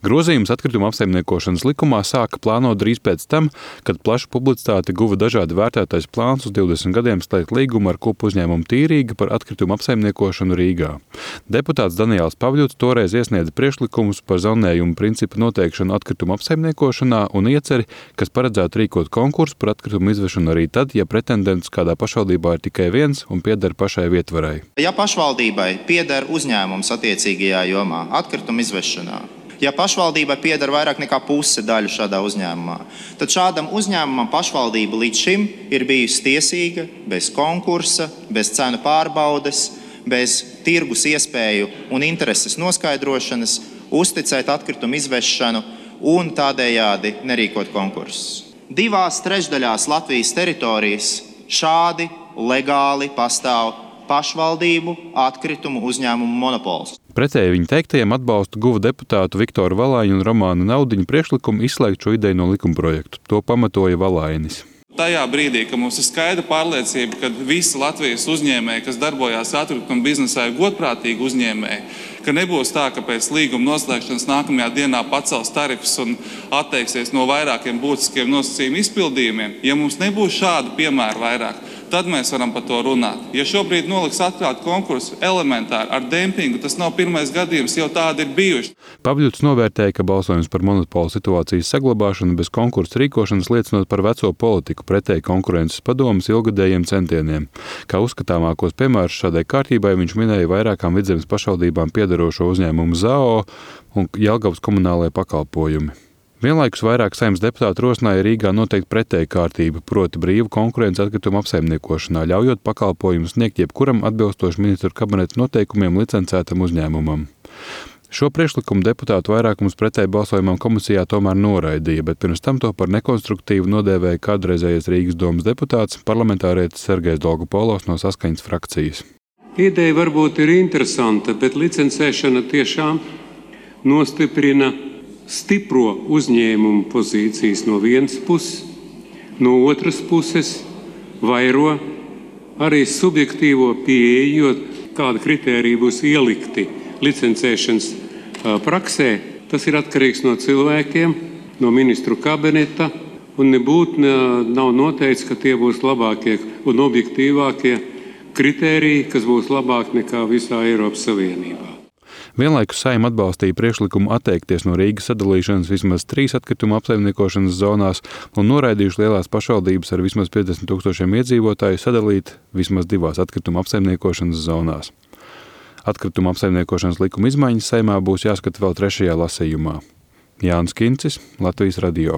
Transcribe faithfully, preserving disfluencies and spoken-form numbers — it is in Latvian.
Grozījums atkrituma apsaimniekošanas likumā sāka plānot drīz pēc tam, kad plašu publicitāti guva dažādi vērtētais plāns uz divdesmit gadiem slēgt līgumu ar kopu uzņēmumu Tīrīga par atkrituma apsaimniekošanu Rīgā. Deputāts Daniels Pavļuts toreiz iesniedza priekšlikumus par zonējumu principu noteikšanu atkrituma apsaimniekošanā un ieceri, kas paredzētu rīkot konkursu par atkritumu izvešanu arī tad, ja pretendents kādā pašvaldībā ir tikai viens un pieder pašai vietvarai. Ja pašvaldībai pieder uzņēmums attiecīgajā jomā atkrituma izvešanā, ja pašvaldībai pieder vairāk nekā puse daļu šādā uzņēmumā, tad šādam uzņēmumam pašvaldība līdz šim ir bijusi tiesīga bez konkursa, bez cenu pārbaudes, bez tirgus iespēju un intereses noskaidrošanas, uzticēt atkritumu izvešanu un tādējādi nerīkot konkursus. Divās trešdaļās Latvijas teritorijas šādi legāli pastāv pašvaldību atkritumu uzņēmumu monopols. Pretēji viņa teiktajiem atbalstu guva deputātu Viktoru Valāņu un Romānu Naudiņu priekšlikumu izslēgt šo ideju no likumprojekta. To pamatoja Valainis. Tajā brīdī, kad mums ir skaidra pārliecība, ka visi Latvijas uzņēmēji, kas darbojās atkrituma biznesā, ir godprātīgi uzņēmēji, ka nebūs tā, ka pēc līguma noslēgšanas nākamajā dienā pacels tarifus un atteiksies no vairākiem būtiskiem nosacījumu izpildījumiem. Ja mums nebūs šādu piemēru vairāk, tad mēs varam par to runāt. Ja šobrīd noliks atklāt konkursu elementāri ar dempingu, tas nav pirmais gadījums, jau tādi ir bijuši. Pavļuts novērtēja, ka balsojums par monopolu situācijas saglabāšanu bez konkursu rīkošanas liecinot par veco politiku pretēji konkurences padomes ilgadējiem centieniem. Kā uzskatāmākos piemērus šādai kārtībai viņš minēja vairākām Vidzemes pašvaldībām piederošo uzņēmumu Z A O un Jelgavas komunālajie pakalpojumi. Vienlaikus vairāk Saeimas deputāti rosināja Rīgā noteikt pretēju kārtību, proti brīvu konkurenci atkrituma apsaimniekošanā, ļaujot pakalpojumus sniegt jebkuram atbilstoši ministru kabineta noteikumiem licencētam uzņēmumam. Šo priekšlikumu deputātu vairākums pretēji balsojumam komisijā tomēr noraidīja, bet pirms tam to par nekonstruktīvu nodēvēja kādreizējais Rīgas domas deputāts, parlamentārietis Sergejs Dolgopolovs no Saskaņas frakcijas. Ideja varbūt ir interesanta, bet licencēšana tiešām nostiprina stipro uzņēmumu pozīcijas no vienas puses, no otras puses vairo arī subjektīvo pieeju, jo kāda kritērija būs ielikti licencēšanas praksē. Tas ir atkarīgs no cilvēkiem, no ministru kabineta, un nebūtu nav noteikts, ka tie būs labākie un objektīvākie kritēriji, kas būs labāk nekā visā Eiropas Savienībā. Vienlaikus Saeima atbalstīja priekšlikumu atteikties no Rīgas sadalīšanas vismaz trīs atkrituma apsaimniekošanas zonās un noraidījuši lielās pašvaldības ar vismaz piecdesmit tūkstošiem iedzīvotāju sadalīt vismaz divās atkrituma apsaimniekošanas zonās. Atkrituma apsaimniekošanas likuma izmaiņas Saeimā būs jāskata vēl trešajā lasījumā. Jānis Kincis, Latvijas radio.